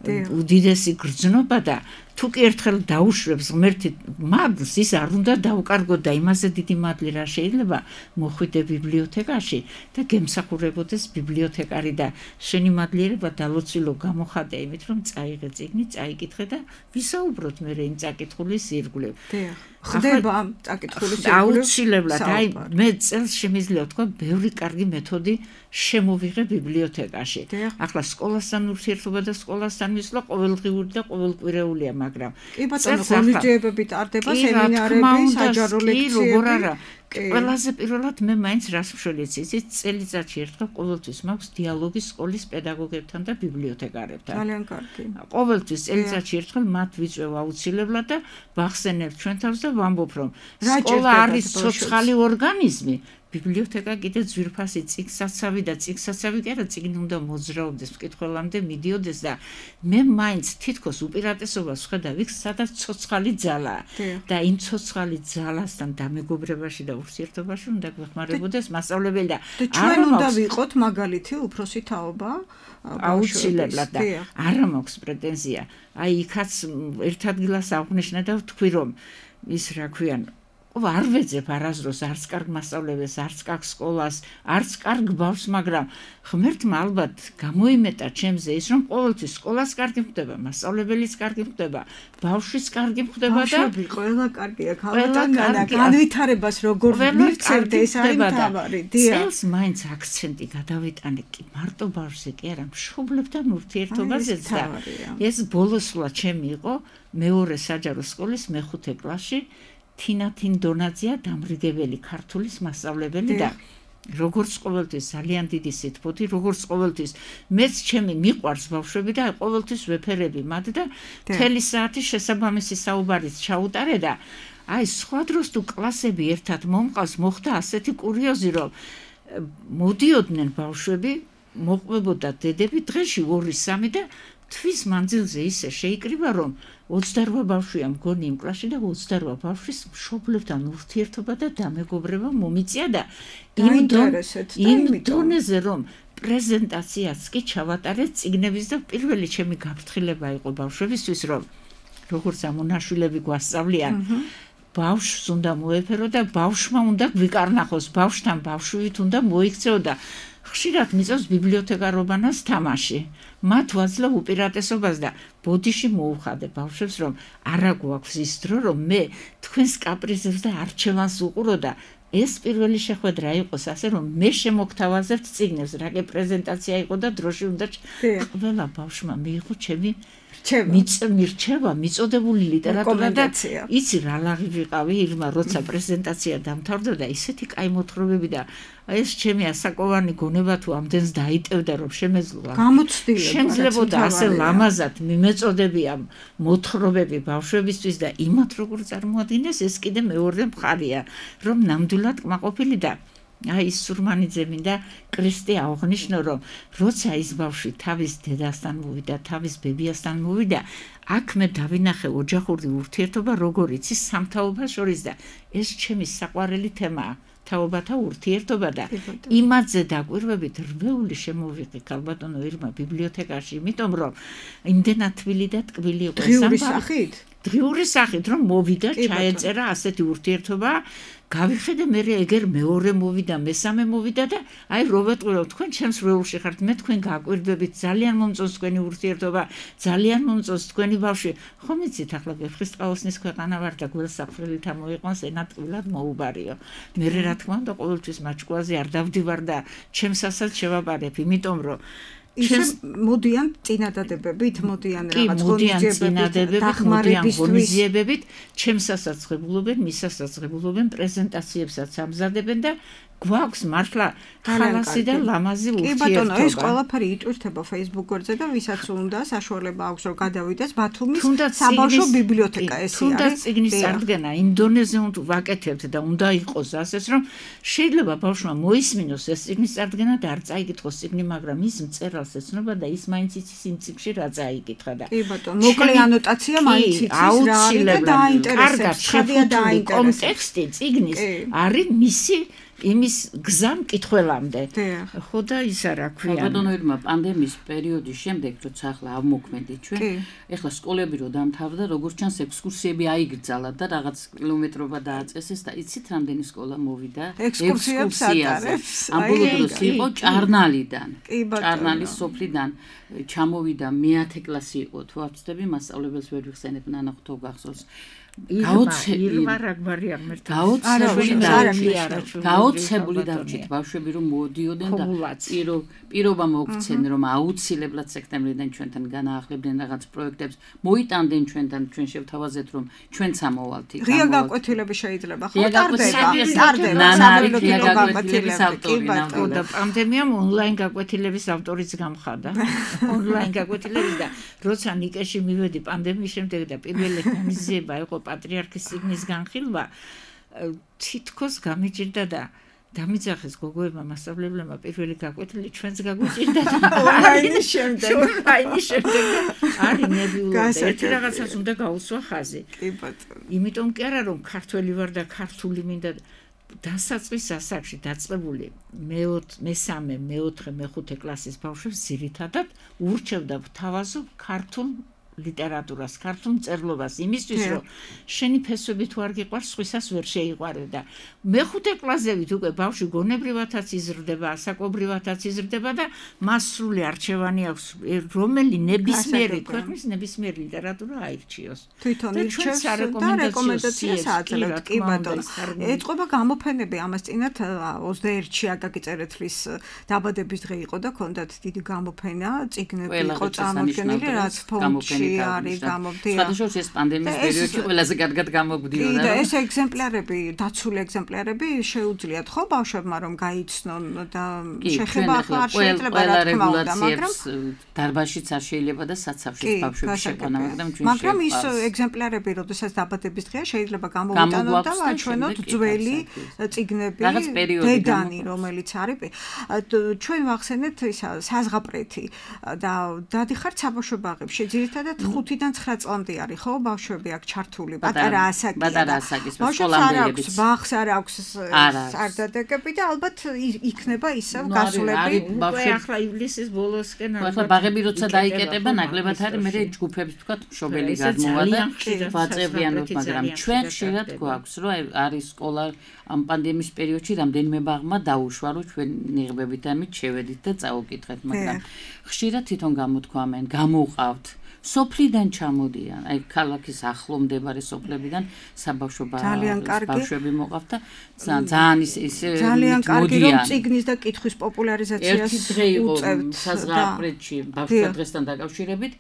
უდიდესი გრძნობა და თუ კი ერთხელ დაუშვებს ღმერთი მადლს ის არ უნდა დაუკარგო და იმაზე დიდი მადლი რა შეიძლება მოხვიდე ბიბლიოთეკაში და გემსახურებოდეს ბიბლიოთეკარი და შენი მადლიერება დალოცილო გამოხატე იმით რომ წაიღე წიგნი წაიკითხე და ვისაუბროთ მე იმ წაკითხulis ირგვლივ ხდება წაკითხulis ირგვლივ აუცილებლად აი მე წელს შემიძლია თქვა ბევრი კარგი მეთოდი შემოვიღე ბიბლიოთეკაში ახლა სკოლასთან ურთიერთობა და სკოლასთან მისვლა ყოველდღიური და ყოველკვირეულია მაგრამ კი ბატონო ღონისძიებები ტარდება სემინარები საჯარო ლექციები ყველაზე პირველად მე მაინც რას ვშველიც იცით წელიწადში ერთხელ ყოველთვის მაქვს დიალოგი სკოლის პედაგოგებთან და ბიბლიოთეკარებთან ძალიან კარგი ყოველთვის წელიწადში ერთხელ მათ ვიწვევ აუცილებლად და ვახსენებ ჩვენ თავს და ვამბობ რომ სკოლა არის ცოცხალი ორგანიზმი ბიბლიოთეკა კიდე ძვირფასი წიგნსაცავი და წიგნსაცავი კი არა, წიგნი უნდა მოძრაობდეს, მკითხველამდე მიდიოდეს და მე მაინც თითქოს უპირატესობას ვხედავ იქ, სადაც ცოცხალი ძალაა და იმ ცოცხალი ძალასთან დამეგობრებაში და ურთიერთობაში უნდა გვეხმარებოდეს მასწავლებელი და ჩვენ უნდა ვიყოთ მაგალითი უფროსი თაობა აუცილებლად და არა მაქვს პრეტენზია. აი იქაც ერთ ადგილას აღნიშნე და ვთქვი რომ ის რა ქვიან არ ვეძებ არასდროს არც კარგ მასწავლებელს, არც კარგ სკოლას, არც კარგ ბავშვს, მაგრამ ღმერთმა ალბათ გამოიმეტა ჩემზე ის, რომ ყოველთვის სკოლას კარგი ხდება, მასწავლებელიც კარგი ხდება, ბავშვის კარგი ხდება და ბავშვები ყველა კარგია, ქალბატონი განვითარებას როგორ მივცემთ ეს არის თავარი. წელს მაინც აქცენტი გადავიტანე კი მარტო ბავშვზე კი არა, მშობლებთან ურთიერთობაზეც და ეს ბოლოსვლა ჩემი იყო მეორე საჯარო სკოლის მეხუთე კლასში. თინა თინდონაძეა დამრიგებელი ქართულის მასწავლებელი და როგორც ყოველთვის ძალიან დიდი სიტყვოთი, როგორც ყოველთვის მეც ჩემი მიყვარს ბავშვები და ყოველთვის ვეფერები მათ და მთელი საათი შესაბამისი საუბარიც ჩაუტარე და აი სხვა დროს თუ კლასები ერთად მომყავს, მოხდა ასეთი კურიოზი, რომ მოდიოდნენ ბავშვები, მოყვებოდა დედები დღეში ორი სამი და თვის მანძილზე ისე შეიკრიბა, რომ ოცდარვა ბავშვია მგონი იმ კლასში და ოცდარვა ბავშვის მშობლებთან ურთიერთობა და დამეგობრება მომიწია და იმ დონეზე რომ პრეზენტაციაც კი ჩავატარეთ წიგნების და პირველი ჩემი გაფრთხილება იყო ბავშვებისთვის, რომ როგორც ამონაშვილები გვასწავლიან, ბავშვს უნდა მოეფერო და ბავშვმა უნდა გვიკარნახოს, ბავშვთან ბავშვით უნდა მოიქცეო და ხშირად მიწევს ბიბლიოთეკარობანას თამაში. მათ ვაძლევ უპირატესობას და ბოდიში მოუხადე ბავშვებს, რომ არა გვაქვს ის დრო, რომ მე თქვენს კაპრიზებს და არჩევანს უყურო და ეს პირველი შეხვედრა იყოს ასე, რომ მე შემოგთავაზებთ წიგნებს, რაკე პრეზენტაცია იყო და დროში უნდა ყველა ბავშვმა მიიღო ჩემი მირჩევა, მიწოდებული ლიტერატურა და იცი რა ლაღი ვიყავი ირმა, როცა პრეზენტაცია დამთავრდა და ისეთი კაი მოთხრობები და ეს ჩემი ასაკოვანი გონება თუ ამდენს დაიტევდა, რომ შემეძლო გამოცდილება შემძლებოდა ასე ლამაზად მიმეწოდებია მოთხრობები ბავშვებისთვის და იმათ როგორ წარმოადგინეს, ეს კიდე მეორე მხარია, რომ ნამდვილად კმაყოფილი და აი სურმანიძე მინდა კრისტე აღნიშნო, რომ როცა ის ბავშვი თავის დედასთან მოვიდა, თავის ბებიასთან მოვიდა, აქ მე დავინახე ოჯახური ურთიერთობა, როგორიც ის სამთაობას შორის და ეს ჩემი საყვარელი თემაა. თაობათა ურთიერთობა და იმაზე დაკვირვებით რვეული შემოვიღე ქალბატონო ირმა ბიბლიოთეკაში, იმიტომ რომ იმდენად თბილი და ტკბილი იყო დღიური სახით. დღიური სახით რომ მოვიდა, ჩაეწერა ასეთი ურთიერთობა, გავიხედე მე ეგერ მეორე მოვიდა, მესამე მოვიდა და აი რო ვეტყვირო, თქვენ ჩემს რვეულში ხართ, მე თქვენ გაკვირდებით, ძალიან მომწონს თქვენი ურთიერთობა, ძალიან მომწონს თქვენი ბავშვი. ხომ იცით ახლა ვეფხისტყაოსნის ქვეყანა ვარ და გველსაფრელით ამოიყვანს ენატყვილად მოუბარიო. მე რა თქმა უნდა ყოველთვის მაჭკუაზე არ დავდივარ და ჩემსასაც შევაბარებ, იმიტომ რომ ისე მოდიან წინადადებებით, მოდიან რაღაც ღონისძიებებით, დახმარებისთვის, ჩემსასაც ღებულობენ, მისასაც ღებულობენ, პრეზენტაციებსაც ამზადებენ და გვაქვს მართლა ხალასი და ლამაზი ურთიერთობა. კი ბატონო, ეს ყველაფერი იტვირთება Facebook-ზე და ვისაც უნდა საშუალება აქვს რომ გადავიდეს ბათუმის საბავშვო ბიბლიოთეკა, ეს არის. თუნდაც წიგნის წარდგენა იმ დონეზე უნდა ვაკეთებთ და უნდა იყოს ასეც, რომ შეიძლება ბავშვმა მოისმინოს ეს წიგნის წარდგენა და არ წაიკითხოს წიგნი, მაგრამ ის მწერალს ეცნობა და ის მაინც იცის იმ წიგნში რა წაიკითხა და კი ბატონო, მოკლე ანოტაცია მაინც იცის რა არის და დაინტერესებს, ხადია დაინტერესებს. კონტექსტი წიგნის არის მისი იმის გზა მკითხველამდე. ხო და ისა რა ქვია. ბატონო ირმა პანდემიის პერიოდის შემდეგ, როცა ახლა ავმოქმედით ჩვენ, ეხლა სკოლები რო დამთავრდა, როგორც ჩანს ექსკურსიები აიგრძალა და რაღაც კილომეტრობა დააწესეს და იცით რამდენი სკოლა მოვიდა ექსკურსიაზე. ამბოლოდროს იყო ჭარნალიდან. ჭარნალის სოფლიდან ჩამოვიდა მეათე კლასი იყო, თუ არ ვცდები, მასწავლებელს ვერ ვიხსენებ, ნანა ღვთო გახსოვს. გაოცებული დავრჩით ბავშვები რომ მოდიოდნენ და პირო პირობა მოგვცენ რომ აუცილებლად სექტემბრიდან ჩვენთან განაახლებდნენ რაღაც პროექტებს, მოიტანდნენ ჩვენთან, ჩვენ შევთავაზეთ რომ ჩვენც ამოვალთ იქ. ღია გაკვეთილები შეიძლება ხო ტარდება, ტარდება საბოლოო გაკვეთილების ავტორი და პანდემიამ ონლაინ გაკვეთილების ავტორიც გამხადა. ონლაინ გაკვეთილების და როცა ნიკეში მივედი პანდემიის შემდეგ და პირველი ღონისძიება იყო პატრიარქის წიგნის განხილვა, თითქოს გამიჭირდა და დამიძახეს გოგოებმა მასწავლებლებმა პირველი გაკვეთილი ჩვენს გაგვიჭირდა ონლაინის შემდეგ ონლაინის შემდეგ არის ნებიულობა ერთი რაღაცას უნდა გაუსვა ხაზი კი ბატონო იმიტომ კი არა რომ ქართველი ვარ და ქართული მინდა დასაწყის ასაკში დაწყებული მესამე, მეოთხე, მეხუთე კლასის ბავშვებს ძირითადად ურჩევდა თავაზობ ქართულ ლიტერატურას, ქართულ მწერლობას იმისთვის რომ შენი ფესვები თუ არ გიყვარს, სხვისას ვერ შეიყვარე და მეხუთე კლასებით უკვე ბავშვი გონებრივათაც იზრდება, ასაკობრივათაც იზრდება და მას სრული არჩევანი აქვს, რომელი ნებისმიერი ქვეყნის ნებისმიერი ლიტერატურა აირჩიოს. თვითონ ირჩევს და რეკომენდაციას აძლევთ, კი ბატონო. ეწყობა გამოფენები ამას წინათ ოცდაერთში აკაკი წერეთლის დაბადების დღე იყო და ჰქონდათ დიდი გამოფენა, წიგნები იყო წარმოდგენილი, რაც ფონდში არის გამოფენა. სხვადასხვა ეს პანდემიის პერიოდში ყველაზე კარგად გამოგვდიოდა. და ეს ეგზემპლარები, დაცული ეგზემპლარები შეუძლიათ ხო ბავშვებმა რომ გაიცნონ და შეხება ახლა არ შეიძლება რა თქმა უნდა, მაგრამ დარბაზშიც არ შეიძლება და საცავშიც ბავშვები შეყვანა, მაგრამ ჩვენ მაგრამ ის ეგზემპლარები, როდესაც დაბადების დღეა, შეიძლება გამოვიტანოთ და ვაჩვენოთ ძველი წიგნები, დედანი, რომელიც არის. ჩვენ ვახსენეთ ისა საზღაპრეთი და დადიხართ საბავშვო ბაღებში. ძირითადად ხუთიდან ცხრა წლამდე არის ხო ბავშვები აქ ჩართული პატარა ასაკია პატარა ასაკის სკოლამდეების ბაღს არ აქვს სარდადეგები და ალბათ იქნება ისევ გასულები უკვე ახლა ივლისის ბოლოსკენ ახლა ბაღები როცა დაიკეტება ნაკლებად არის მე ჯგუფებს თქვა მშობელი გადმოვა და ვაწევიანოთ მაგრამ ჩვენ ხშირად გვაქვს რომ არის სკოლა ამ პანდემიის პერიოდში რამდენიმე ბაღმა დაუშვა რომ ჩვენ ნიღბებით ამით შევედით და წაუკითხეთ მაგრამ ხშირად თვითონ გამოთქვამენ გამოვყავთ სოფლიდან ჩამოდიან, აი ქალაქის ახლო მდებარე სოფლებიდან საბავშვო ბავშვები მოყავთ და ძალიან ის ძალიან კარგი რომ წიგნის და კითხვის პოპულარიზაციას უწევთ საზღაპრეთში ბავშვთა დღესთან დაკავშირებით,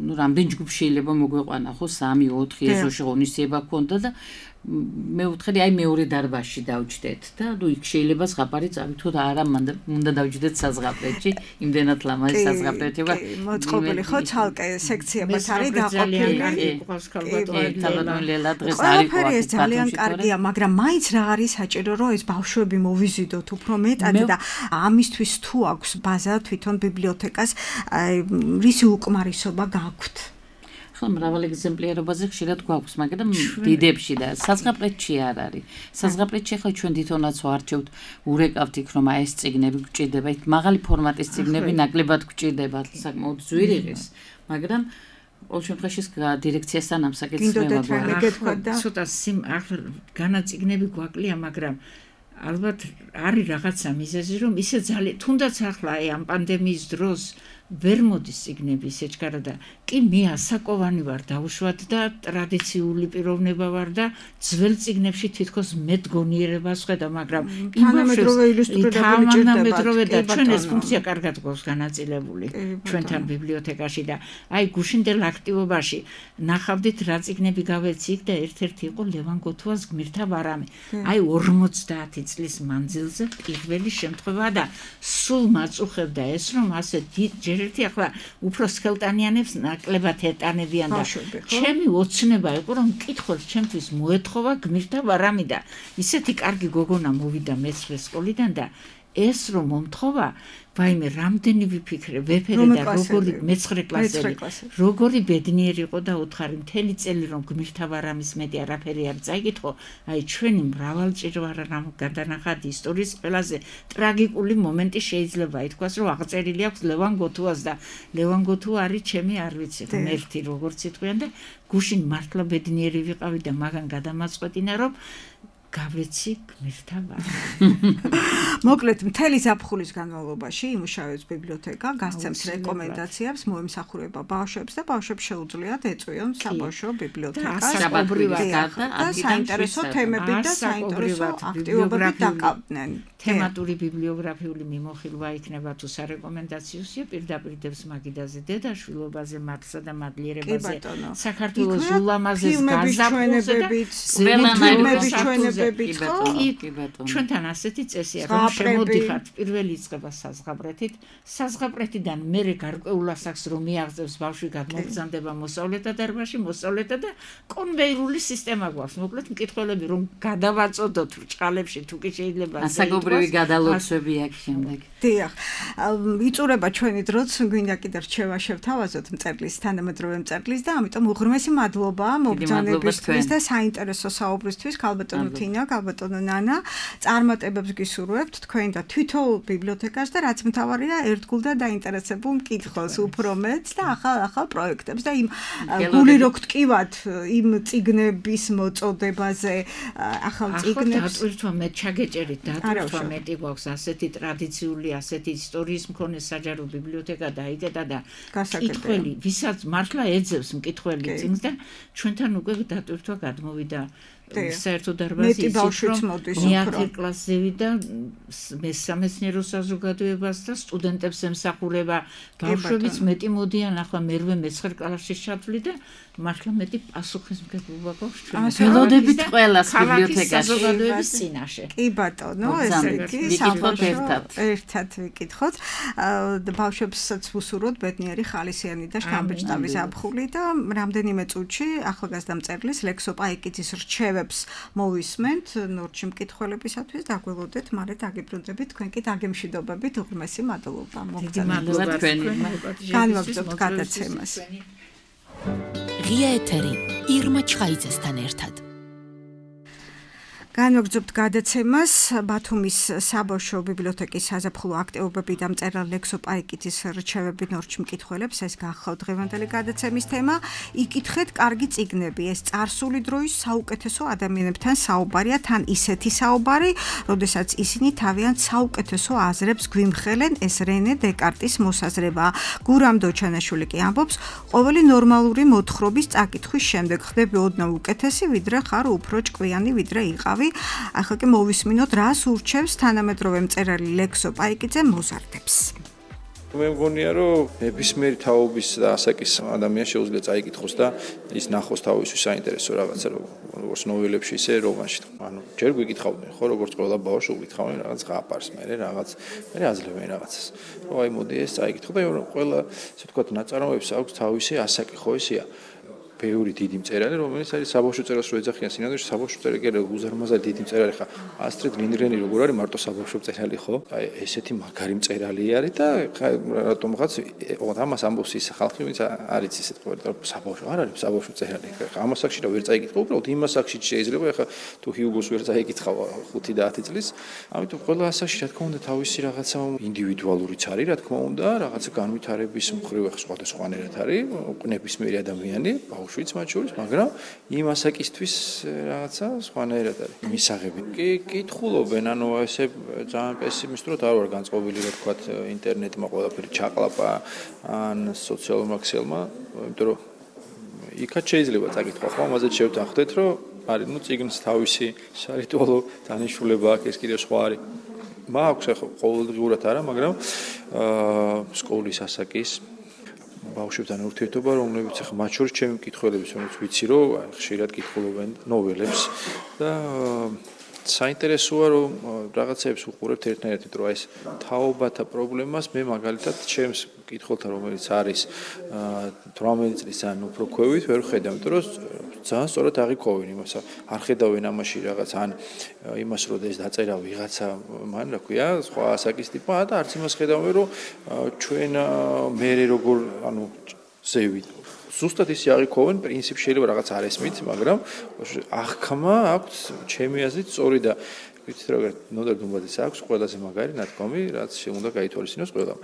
ნუ რამდენ ჯგუფ შეიძლება მოგვეყვანა ხო სამი ოთხი ეზოში ღონისძიება ქონდა და მე ვთქვი აი მეორე დარბაზში დავჯდეთ და ნუ იქ შეიძლება ზღაპარი წავით თუ არა უნდა დავჯდეთ საზღაპრეთში იმდენად ლამაზი საზღაპრეთია მოწყობილი ხო ცალკე სექციებად არის დაყოფილი თავადონლელა დღეს არის ეს ძალიან კარგია მაგრამ მაინც რა არის საჭირო რომ ეს ბავშვები მოვიზიდოთ უფრო მეტად და ამისთვის თუ აქვს ბაზა თვითონ ბიბლიოთეკას რისი უკმარისობა გაქვთ ხომ მრავალი ეგზემპლარობაზე ხშირად გვაქვს, მაგრამ დიდებში და საზღაპრეთში არ არის. საზღაპრეთში ახლა ჩვენ თვითონაც ვარჩევთ, ურეკავთ იქ რომ აი ეს წიგნები გვჭირდება, იქ მაღალი ფორმატის წიგნები ნაკლებად გვჭირდება, საკმაოდ ზვირიღის, მაგრამ ყოველ შემთხვევაში დირექციასთან ამ საკითხს მე ვაგვარ. ცოტა სიმ ახლა განაწიგნები გვაკლია, მაგრამ ალბათ არის რაღაცა მიზეზი რომ ისე ძალიან თუნდაც ახლა აი ამ პანდემიის დროს ვერ მოდის წიგნები სეჩქარა და კი მე ასაკოვანი ვარ დაუშვათ და ტრადიციული პიროვნება ვარ და ძველ წიგნებში თითქოს მეტ გონიერებას ხედა მაგრამ თანამედროვე ილუსტრირებული თანამედროვე და ჩვენ ეს ფუნქცია კარგად გვაქვს განაწილებული ჩვენთან ბიბლიოთეკაში და აი გუშინდელ აქტივობაში ნახავდით რა წიგნები გავეცით და ერთ-ერთი იყო ლევან გოთუას გმირთა ბარამი აი ორმოცდაათი წლის მანძილზე პირველი შემთხვევაა და სულ მაწუხებდა ეს რომ ასე ერთი ახლა უფრო სქელტანიანებს ნაკლებად ეტანებიან და ჩემი ოცნება იყო რომ მკითხველს ჩემთვის მოეთხოვა გმირთა ბარამი და ისეთი კარგი გოგონა მოვიდა მეცხრე სკოლიდან და ეს რომ მომთხოვა ვაიმე რამდენი ვიფიქრე ვეფერე და როგორი მეცხრე კლასელი როგორი ბედნიერი იყო და უთხარი მთელი წელი რომ გმირთა ბარამის მეტი არაფერი არ წაიკითხო აი ჩვენი მრავალჭირვარა რამ გადანახადი ისტორიის ყველაზე ტრაგიკული მომენტი შეიძლება ითქვას რომ აღწერილი აქვს ლევან გოთუას და ლევან გოთუა არის ჩემი არ ვიცი ღმერთი როგორც იტყვიან და გუშინ მართლა ბედნიერი ვიყავი და მაგან გადამაწყვეტინა რომ გავეცი გმირთა ბარამი. მოკლედ მთელი ზაფხულის განმავლობაში იმუშავებს ბიბლიოთეკა, გასცემს რეკომენდაციებს, მოემსახურება ბავშვებს და ბავშვებს შეუძლიათ ეწვიონ საბავშვო ბიბლიოთეკას. და საინტერესო თემები და საინტერესო აქტივობები დაკავდნენ. თემატური ბიბლიოგრაფიული მიმოხილვა იქნება თუ სარეკომენდაციოსია პირდაპირ დევს მაგიდაზე დედაშვილობაზე, მართლსა და მადლიერებაზე, საქართველოს ულამაზეს გაზაფხულზე და ფილმები ჩვენებებით მეთოდებით ხო? კი ბატონო. ჩვენთან ასეთი წესია, რომ შემოდიხართ პირველი იწყება საზღაპრეთით, საზღაპრეთიდან მერე გარკვეულ ასაკს რომ მიაღწევს ბავშვი გადმოგზანდება მოსავლეთა დარბაზში, მოსავლეთა და კონვეირული სისტემა გვაქვს. მოკლედ მკითხველები რომ გადავაწოდოთ ბრჭყალებში თუ კი შეიძლება ასაგობრივი გადალოცვები აქვს შემდეგ. დიახ. იწურება ჩვენი დროც, გვინდა კიდე რჩევა შევთავაზოთ მწერლის, თანამედროვე მწერლის და ამიტომ უღრმესი მადლობა მობრძანებისთვის და საინტერესო საუბრისთვის ქალბატონო თინა, ქალბატონო ნანა. წარმატებებს გისურვებთ თქვენ და თვითოულ ბიბლიოთეკას და რაც მთავარია ერთგულ და დაინტერესებულ მკითხველს უფრო მეც და ახალ-ახალ პროექტებს და იმ გული რო გტკივათ იმ წიგნების მოწოდებაზე ახალ წიგნებს დატვირთვა მე ჩაგეჭერით დატვირთვა მეტი გვაქვს ასეთი ტრადიციული ასეთი ისტორიის მქონე საჯარო ბიბლიოთეკა დაიკეტა და მკითხველი ვისაც მართლა ეძებს მკითხველი წიგნს და ჩვენთან უკვე დატვირთვა გადმოვიდა საერთო დარბაზი ისიც რომ მეათე კლასები და მესამეცნიერო საზოგადოებას და სტუდენტებს ემსახურება ბავშვებიც მეტი მოდიან ახლა მერვე მეცხრე კლასში ჩათვლი და მართლა მეტი პასუხისმგებლობა გვაქვს ჩვენ ველოდებით ყველას ბიბლიოთეკაში საზოგადოების წინაშე კი ბატონო ესე იგი ერთად ერთად ვიკითხოთ ბავშვებსაც ვუსურვოთ ბედნიერი ხალისიანი და შთამბეჭდავი ზაფხული და რამდენიმე წუთში ახალგაზრდა მწერლის ლექსო პაიკიძის რჩევებს მოვისმენთ ნორჩი მკითხველებისათვის და გველოდეთ მალე დაგიბრუნდებით თქვენ კი დაგემშვიდობებით უღრმესი მადლობა მოგწონებთ თქვენი განვაგრძობთ გადაცემას ღია ეთერი ირმა ჩხაიძესთან ერთად განვაგრძობთ გადაცემას ბათუმის საბავშვო ბიბლიოთეკის საზაფხულო აქტივობები და მწერალ ლექსო პაიკიძის რჩევები ნორჩ მკითხველებს ეს გახლავთ დღევანდელი გადაცემის თემა იკითხეთ კარგი წიგნები ეს წარსული დროის საუკეთესო ადამიანებთან საუბარია თან ისეთი საუბარი როდესაც ისინი თავიანთ საუკეთესო აზრებს გვიმხელენ ეს რენე დეკარტის მოსაზრება გურამ დოჩანაშვილი კი ამბობს ყოველი ნორმალური მოთხრობის წაკითხვის შემდეგ ხდები ოდნავ უკეთესი ვიდრე ხარ უფრო ჭკვიანი ვიდრე იყავი ახლა კი მოვისმინოთ რას ურჩევს თანამედროვე მწერალი ლექსო პაიკიძე მოზარდებს მე მგონია რომ ნებისმიერი თაობის და ასაკის ადამიანს შეუძლია წაიკითხოს და ის ნახოს თავისთვის საინტერესო რაღაცა როგორც ნოველებში ისე რომანში ანუ ჯერ გვიკითხავდნენ ხო როგორც ყველა ბავშვი უკითხავენ რაღაც ღაპარს მე რაღაც მე აძლევენ რაღაცას რომ აი მოდი ეს წაიკითხო და ყველა ასე ვთქვათ ნაწარმოებს აქვს თავისი ასაკი ხო ისეა ბევრი დიდი მწერალი რომელიც არის საბავშვო წერილს რო ეძახიან სინამდვილეში საბავშვო წერილი კი უზარმაზარი დიდი მწერალი ხა ასტრიდ ლინდგრენი როგორ არის მარტო საბავშვო მწერალი ხო აი ესეთი მაგარი მწერალი არის და რატომღაც ამას ამბობს ის ხალხი ვინც არის ისეთ ყოველდღე საბავშვო არ არის საბავშვო მწერალი ხა ამას აქში რა ვერ წაიკითხო უბრალოდ იმას აქში შეიძლება ხა თუ ჰიუგოს ვერ წაიკითხავ ხუთი და ათი წლის ამიტომ ყველა ასაკში რა თქმა უნდა თავისი რაღაცა ინდივიდუალურიც არის რა თქმა უნდა რაღაცა განვითარების მხრივ ხა სხვადასხვანაირად არის ნებისმიერი ადამიანი შვიც მათ შორის, მაგრამ იმ ასაკისთვის რაღაცა სხვანაირად არის. მისაღები კი კითხულობენ, ანუ ესე ძალიან პესიმისტურად არ ვარ განწყობილი, რა თქვა ინტერნეტმა ყველაფერი ჩაყლაპა ან სოციალურმა ქსელმა, იმიტომ რომ იქაც შეიძლება წაკითხვა, ხო, ამაზე შევთანხმდეთ, რომ არის, ну, წიგნს თავისი სარიტუალო დანიშნულება აქვს, ეს კიდევ სხვა არის. მაქვს ახლა ყოველდღიურად არა, მაგრამ აა სკოლის ასაკის ბავშვებთან ურთიერთობა, რომლებიც ახლა მათ შორის ჩემი მკითხველების, რომელიც ვიცი, რომ ხშირად კითხულობენ ნოველებს და საინტერესოა, რომ რაღაცებს უყურებთ ერთნაირად, იმიტომ რომ ეს თაობათა პრობლემას მე მაგალითად ჩემს მკითხველთან, რომელიც არის თვრამეტი წლის ან უფრო ქვევით, ვერ ხედავ, იმიტომ რომ ძალიან სწორად აღიქვავენ იმას, არ ხედავენ ამაში რაღაც ან იმას, რომ ეს დაწერა ვიღაცა, მან რა ქვია, სხვა ასაკის ტიპა და არც იმას ხედავენ, რომ ჩვენ მერე როგორ, ანუ ზევით ზუსტად ისე აღიქვავენ, პრინციპი შეიძლება რაღაც არ ესმით, მაგრამ აღქმა აქვს ჩემი აზრით სწორი და ვიცით როგორ ნოდარ დუმბაძეს აქვს ყველაზე მაგარი ნათქვამი, რაც უნდა გაითვალისწინოს ყველამ.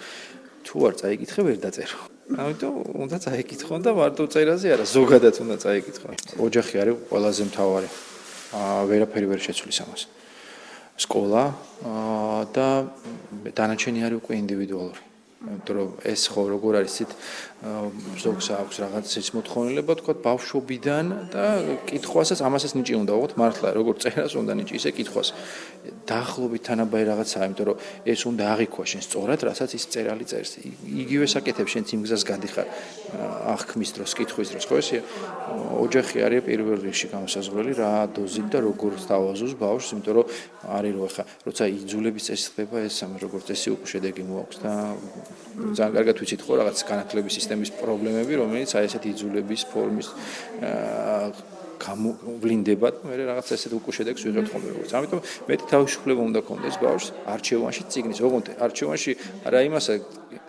თუ არ წაიკითხე, ვერ დაწერო. ამიტომ უნდა წაიკითხონ და მარტო წერაზე არა, ზოგადად უნდა წაიკითხონ. ოჯახი არის ყველაზე მთავარი. აა ვერაფერი ვერ შეცვლის ამას. სკოლა და დანარჩენი არის უკვე ინდივიდუალური. იმიტომ რომ ეს ხო როგორ არის ცით ზოგს აქვს რაღაც ის მოთხოვნილება თქვა ბავშვობიდან და კითხვასაც ამასაც ნიჭი უნდა უღოთ მართლა როგორ წერას უნდა ნიჭი ისე კითხვას დაახლოებით თანაბარი რაღაცაა იმიტომ რომ ეს უნდა აღიქვა შენ სწორად რასაც ის წერალი წერს იგივე საკეთებს შენ იმ გზას გადიხარ აღქმის დროს კითხვის დროს ხო ესე ოჯახი არის პირველ რიგში გამოსაზღვრელი რა დოზით და როგორ დავაზოს ბავშვს იმიტომ რომ არის რო ხა როცა იძულების წესი ხდება ეს როგორ წესი უკვე შედეგი მოაქვს და ძალიან კარგად ვიცით ხო რაღაც განათლების სისტემის პრობლემები რომელიც აი ესეთი იძულების ფორმის გამოვლინდება და მე რაღაც ესეთ უკვე შედეგს ვიღებთ ხოლმე როგორც ამიტომ მეტი თავისუფლება უნდა ქონდეს ბავშვს არჩევანში წიგნის ოღონდ არჩევანში არა იმასა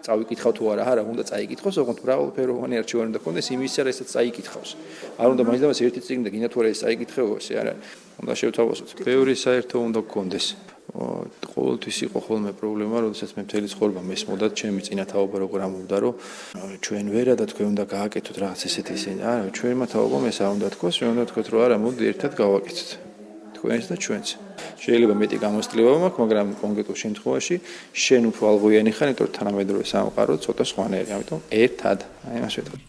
წავიკითხავ თუ არა არა უნდა წაიკითხოს ოღონდ მრავალფეროვანი არჩევანი უნდა ქონდეს იმისა რასაც წაიკითხავს არ უნდა მაინც და მას ერთი წიგნი და გინდა თუ არა ეს წაიკითხებო ესე არა უნდა შევთავაზოთ ბევრი საერთო უნდა გქონდეს ყოველთვის იყო ხოლმე პრობლემა, როდესაც მე მთელი ცხოვრება მესმოდა ჩემი წინა თაობა როგორ ამბობდა, რომ ჩვენ ვერა და თქვენ უნდა გააკეთოთ რაღაც ესეთი ისინი. არა, ჩვენმა თაობამ ეს არ უნდა თქვას, ჩვენ უნდა თქვათ, რომ არა, მოდი ერთად გავაკეთოთ. თქვენს და ჩვენს. შეიძლება მეტი გამოცდილება მაქვს, მაგრამ კონკრეტულ შემთხვევაში შენ უფრო ალღოიანი ხარ, იმიტომ რომ თანამედროვე სამყარო ცოტა სხვანაირი, ამიტომ ერთად, აი მას ვეთქვი.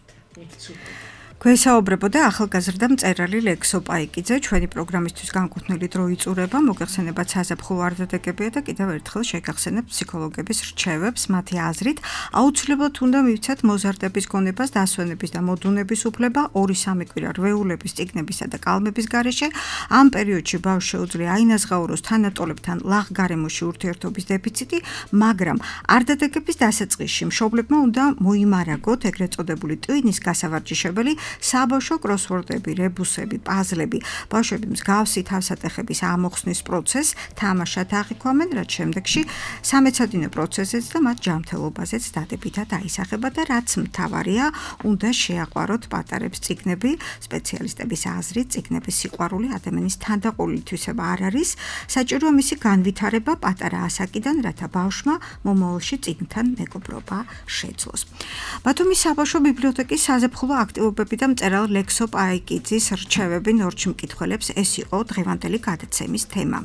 გვესაუბრებოდა ახალგაზრდა მწერალი ლექსო პაიკიძე, ჩვენი პროგრამისთვის განკუთვნილი დრო იწურება, მოგეხსენებათ საზაფხულო არდადეგებია და კიდევ ერთხელ შეგახსენებთ ფსიქოლოგების რჩევებს, მათი აზრით, აუცილებლად უნდა მივცეთ მოზარდების გონებას, დასვენების და მოდუნების უფლება, ორი სამი კვირა რვეულების, წიგნებისა და კალმების გარეშე, ამ პერიოდში ბავშვს შეუძლია აინაზღაუროს თანატოლებთან ლაღ-გარემოში ურთიერთობის დეფიციტი, მაგრამ არდადეგების დასაწყისში მშობლებმა უნდა მოიმარაგოთ ეგრეთ წოდებული ტვინის გასავარჯიშებელი საბავშვო კროსვორდები, რებუსები, პაზლები, ბავშვები მსგავსი თავსატეხების ამოხსნის პროცესს თამაშად აღიქვამენ, რაც შემდეგში სამეცადინო პროცესზეც და მათ ჯანმრთელობაზეც დადებითად აისახება და რაც მთავარია, უნდა შეაყვაროთ პატარებს წიგნები, სპეციალისტების აზრით, წიგნების სიყვარული ადამიანის თანდაყოლილი თვისება არ არის, საჭიროა მისი განვითარება პატარა ასაკიდან, რათა ბავშვმა მომავალში წიგნთან მეგობრობა შეძლოს. ბათუმის საბავშვო ბიბლიოთეკის საზაფხულო აქტივობები და მწერალ ლექსო პაიკიძის რჩევები ნორჩ მკითხველებს ეს იყო დღევანდელი გადაცემის თემა.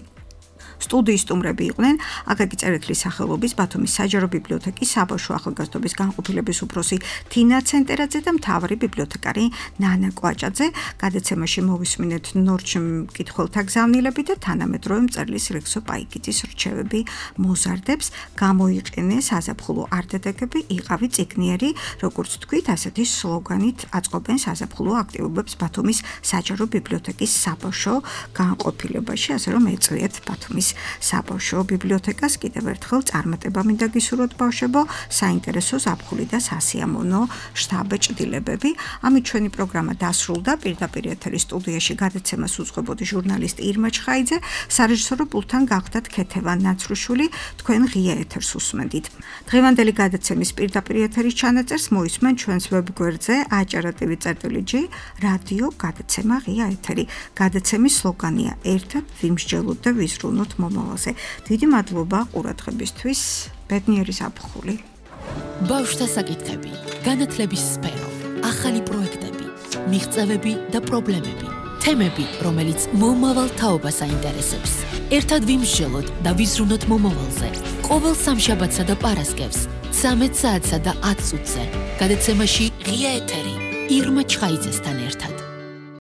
სტუდიის სტუმრები იყვნენ აკაკი წერეთლის სახელობის ბათუმის საჯარო ბიბლიოთეკის საბავშვო ახალგაზრდობის განყოფილების უფროსი თინა ცენტერაძე და მთავარი ბიბლიოთეკარი ნანა კვაჭაძე. გადაცემაში მოვისმინეთ ნორჩ მკითხველთა გზავნილები და თანამედროვე მწერლის ლექსო პაიკიძის რჩევები მოზარდებს. გამოიყენე საზაფხულო არდადეგები, იყავი წიგნიერი, როგორც თქვით, ასეთი სლოგანით აწყობენ საზაფხულო აქტივობებს ბათუმის საჯარო ბიბლიოთეკის საბავშვო განყოფილებაში, ასე რომ ეწვიეთ ბათუმის საბავშვო ბიბლიოთეკას კიდევ ერთხელ წარმატება მინდა გისურვოთ ბავშვებო, საინტერესო ზაფხული და სასიამოვნო შთაბეჭდილებები. ამით ჩვენი პროგრამა დასრულდა. პირდაპირ ეთერის სტუდიაში გადაცემას უძღვებოდი ჟურნალისტი ირმა ჩხაიძე, სარეჟისორო პულტთან გახდათ ქეთევან ნაცრუშვილი, თქვენ ღია ეთერს უსმენდით. დღევანდელი გადაცემის პირდაპირ ეთერის ჩანაწერს მოისმენ ჩვენს ვებგვერდზე აჭარა.tv წერტილი ჯი რადიო გადაცემა ღია ეთერი. გადაცემის სლოგანია ერთად ვიმსჯელოთ და ვიზრუნოთ მომავალზე. დიდი მადლობა ყურადღებისთვის. ბედნიერი საფხული. ბავშვთა საკითხები, განათლების სფერო, ახალი პროექტები, მიღწევები და პრობლემები, თემები, რომელიც მომავალ თაობას აინტერესებს. ერთად ვიმსჯელოთ და ვიზრუნოთ მომავალზე. ყოველ სამშაბათსა და პარასკევს, ცამეტ საათსა და ათ წუთზე. გადაცემაში ღია ეთერი ირმა ჩხაიძესთან ერთად.